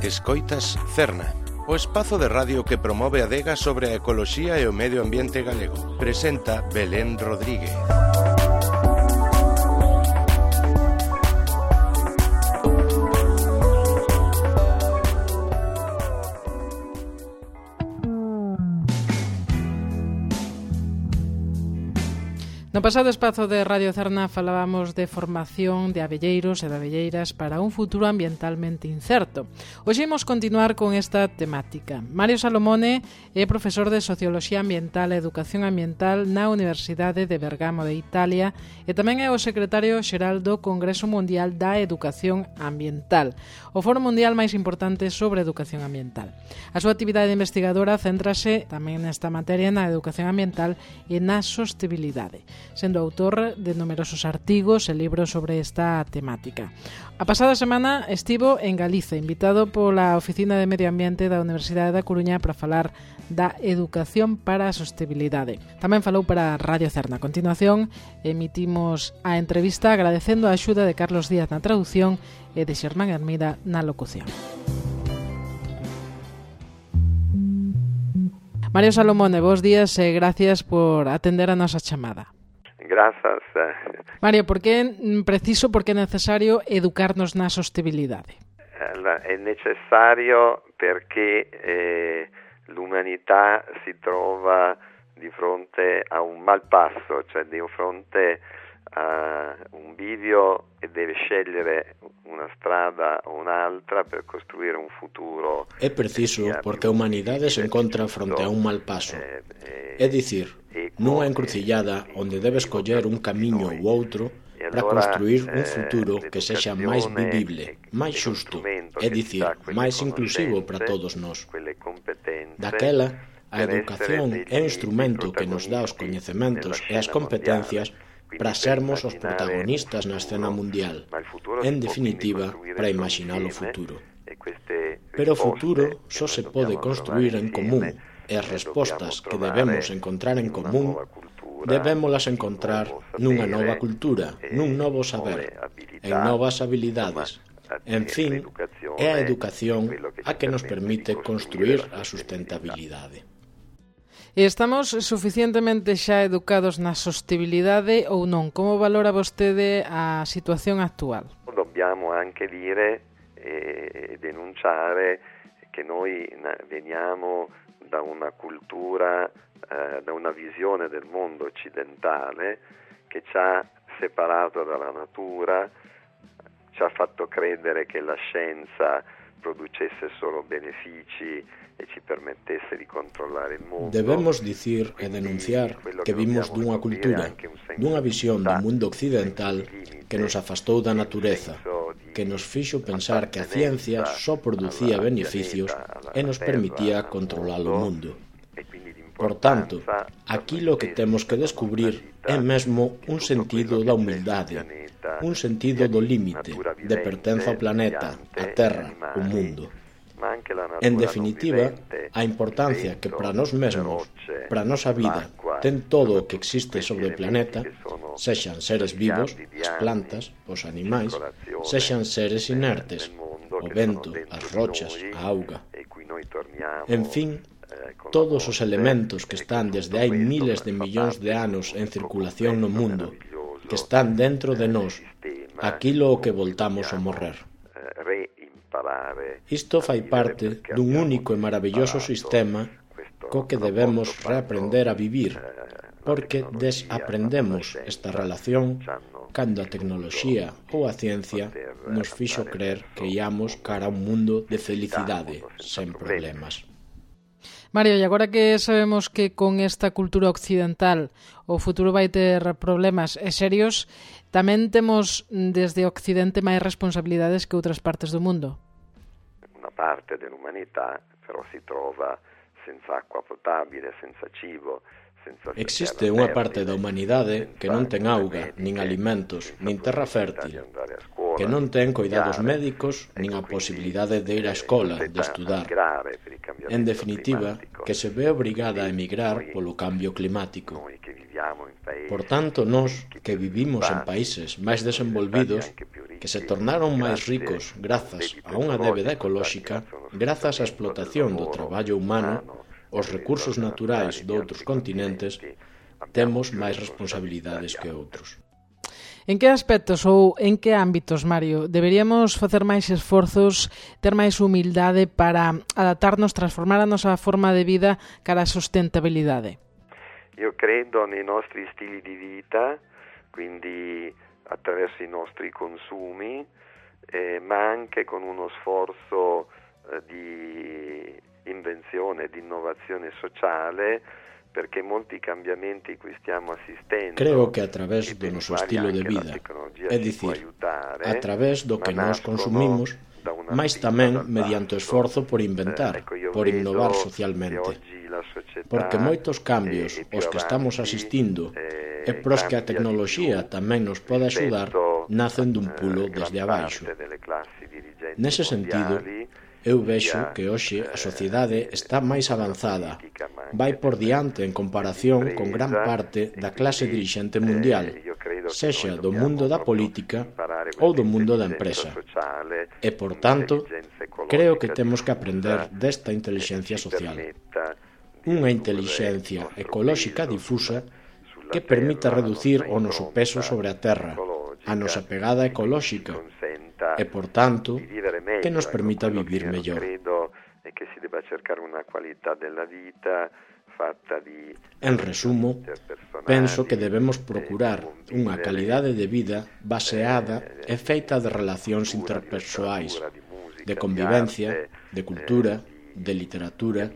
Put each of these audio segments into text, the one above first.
Escoitas Cerna, o espazo de radio que promove a adega sobre a ecoloxía e o medio ambiente galego. Presenta Belén Rodríguez. No pasado espazo de Radio Cerna falábamos de formación de abelleiros e de abelleiras para un futuro ambientalmente incerto. Hoxe imos continuar con esta temática. Mario Salomone é profesor de Socioloxía Ambiental e Educación Ambiental na Universidade de Bergamo de Italia e tamén é o secretario xeral do Congreso Mundial da Educación Ambiental, o foro mundial máis importante sobre educación ambiental. A súa actividade investigadora céntrase tamén nesta materia na educación ambiental e na sostenibilidade, sendo autor de numerosos artigos e libros sobre esta temática. A pasada semana estivo en Galiza, invitado pola Oficina de Medio Ambiente da Universidade da Coruña para falar da educación para a sostenibilidade. Tamén falou para Radio Cerna. A continuación, emitimos a entrevista agradecendo a axuda de Carlos Díaz na traducción e de Xermán Hermida na locución. Mario Salomone, bons días e gracias por atender a nosa chamada. Grazas. Mario, por que é preciso, por que é necesario educarnos na sostenibilidade? È necessario perché l'umanità si trova di fronte a un malpasso, cioè di fronte a un bivio e deve scegliere una strada o un'altra per costruire un futuro. É preciso porque a humanidade se encontra fronte a un mal paso. É dicir, nunha encrucillada onde debe escoller un camiño ou outro para construir un futuro que sexa máis vivible, máis xusto, é dicir, máis inclusivo para todos nós. Daquela, a educación é un instrumento que nos dá os coñecementos e as competencias para sermos os protagonistas na escena mundial, en definitiva, para imaginar o futuro. Pero o futuro só se pode construir en común, e as respostas que debemos encontrar en común debémolas encontrar nunha nova cultura, nun novo saber, en novas habilidades. En fin, é a educación a que nos permite construir a sustentabilidade. E estamos suficientemente xa educados na sostenibilidade ou non? Como valora vostede a situación actual? Dobbiamo anche dire e denunciare che noi veniamo da una cultura, da una visione del mondo occidentale che ci ha separato dalla natura, ci ha fatto credere che la scienza producesse solo benefici e ci permettesse di controllare il mondo. Debemos dicir e denunciar que vimos dunha cultura, dunha visión do mundo occidental que nos afastou da natureza, que nos fixo pensar que a ciencia só producía beneficios e nos permitía controlar o mundo. Por tanto, aquilo que temos que descubrir é mesmo un sentido da humildade, un sentido do límite, de pertenza ao planeta, a terra, o mundo. En definitiva, a importancia que para nós mesmos, para a nosa vida, ten todo o que existe sobre o planeta, sexan seres vivos, as plantas, os animais, sexan seres inertes, o vento, as rochas, a auga. En fin, todos os elementos que están desde hai miles de millóns de anos en circulación no mundo, que están dentro de nós, aquilo o que voltamos a morrer. Isto fai parte dun único e maravilloso sistema co que debemos reaprender a vivir, porque desaprendemos esta relación cando a tecnoloxía ou a ciencia nos fixo crer que íamos cara a un mundo de felicidade, sen problemas. Mario, e agora que sabemos que con esta cultura occidental o futuro vai ter problemas serios, tamén temos desde Occidente máis responsabilidades que outras partes do mundo. Una parte dell'umanità però si trova senza acqua potabile, senza cibo. Existe unha parte da humanidade que non ten auga, nin alimentos, nin terra fértil, que non ten cuidados médicos, nin a posibilidade de ir á escola, de estudar. En definitiva, que se ve obrigada a emigrar polo cambio climático. Por tanto, nós, que vivimos en países máis desenvolvidos, que se tornaron máis ricos grazas a unha débeda ecolóxica, grazas á explotación do traballo humano, os recursos naturais doutros continentes, temos máis responsabilidades que outros. En que aspectos ou en que ámbitos, Mario, deberíamos facer máis esforzos, ter máis humildade para adaptarnos, transformar a nosa forma de vida cara á sustentabilidade? Io credo nei nostri stili di vita, quindi attraverso i nostri consumi, ma anche con uno sforzo di invenzione, di innovazione sociale, perché molti cambiamenti cui stiamo assistendo. Creo que a través do noso estilo de vida, é dicir, a través do que nós consumimos, mais tamén mediante o esforzo por inventar, por innovar socialmente. Porque moitos cambios aos que estamos asistindo e pros que a tecnoloxía tamén nos pode axudar, nacen dun pulo desde abaixo. Nese sentido, eu vexo que hoxe a sociedade está máis avanzada, vai por diante en comparación con gran parte da clase dirixente mundial, sexa do mundo da política ou do mundo da empresa. E, por tanto, creo que temos que aprender desta intelixencia social. Unha intelixencia ecolóxica difusa que permita reducir o noso peso sobre a terra, a nosa pegada ecolóxica, e, por tanto, que nos permita vivir mellor. En resumo, penso que debemos procurar unha calidade de vida baseada e feita de relacións interpersoais, de convivencia, de cultura, de literatura,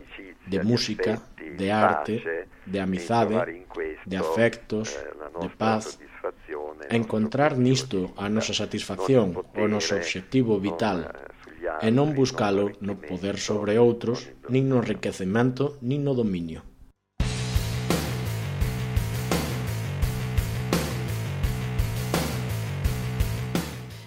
de música, de arte, de amizade, de afectos, de paz. Encontrar nisto a nosa satisfacción, o noso obxectivo vital, e non buscalo no poder sobre outros, nin no enriquecemento, nin no dominio.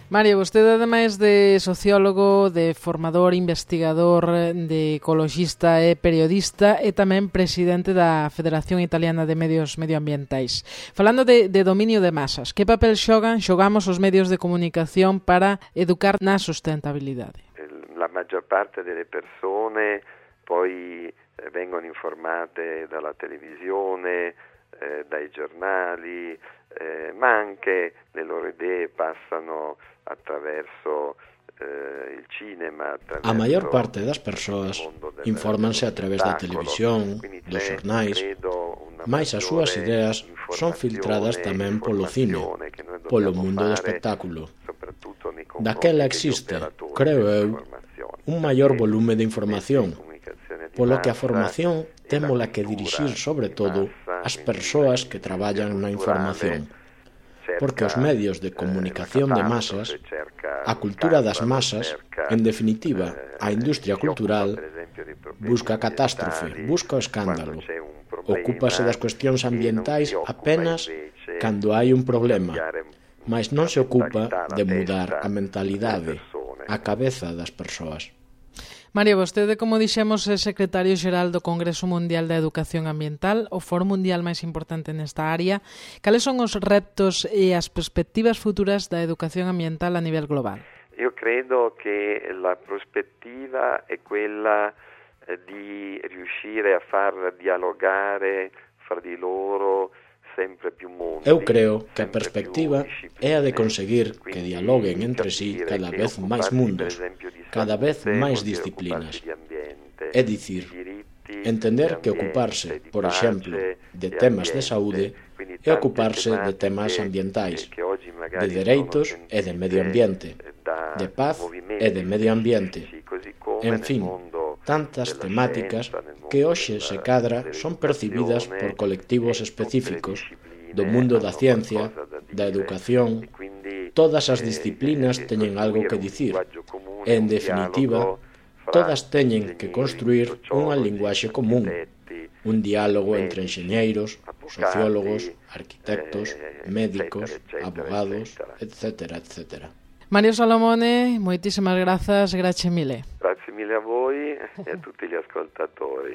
Mario, vostede, ademais de sociólogo, de formador, investigador, de ecoloxista e periodista, é tamén presidente da Federación Italiana de Medios Medioambientais. Falando de dominio de masas, que papel xogamos os medios de comunicación para educar na sustentabilidade? La maggior parte delle persone poi vengono informate dalla televisione, dai giornali, ma anche le loro idee passano attraverso il cinema. A maior parte das persoas infórmanse a través da televisión, dos xornais, mais as súas ideas son filtradas tamén polo cine, polo mundo do espectáculo. Daquela existe, creo eu, un maior volume de información, polo que a formación témola que dirixir sobre todo as persoas que traballan na información, porque os medios de comunicación de masas, a cultura das masas, en definitiva, a industria cultural, busca a catástrofe, busca o escándalo, ocúpase das cuestións ambientais apenas cando hai un problema, mas non se ocupa de mudar a mentalidade, a cabeza das persoas. Mario, vostede, como dixemos, é secretario xeral do Congreso Mundial da Educación Ambiental, o foro mundial máis importante nesta área. Cales son os retos e as perspectivas futuras da educación ambiental a nivel global? Io credo che la prospettiva è quella di riuscire a far dialogare fra di loro sempre più mondi. Eu creo que a perspectiva é a de conseguir que dialoguen entre sí cada vez máis mundos, cada vez máis disciplinas. É dicir, entender que ocuparse, por exemplo, de temas de saúde é ocuparse de temas ambientais, de dereitos e de medio ambiente, de paz e de medio ambiente. En fin, tantas temáticas que hoxe se cadra son percibidas por colectivos específicos do mundo da ciencia, da educación. Todas as disciplinas teñen algo que dicir e, en definitiva, todas teñen que construir unha linguaxe común, un diálogo entre enxeñeiros, sociólogos, arquitectos, médicos, abogados, etc., etc. Mario Salomone, moitísimas grazas, grazie mille. Grazie mille a voi e a tutti gli ascoltatori.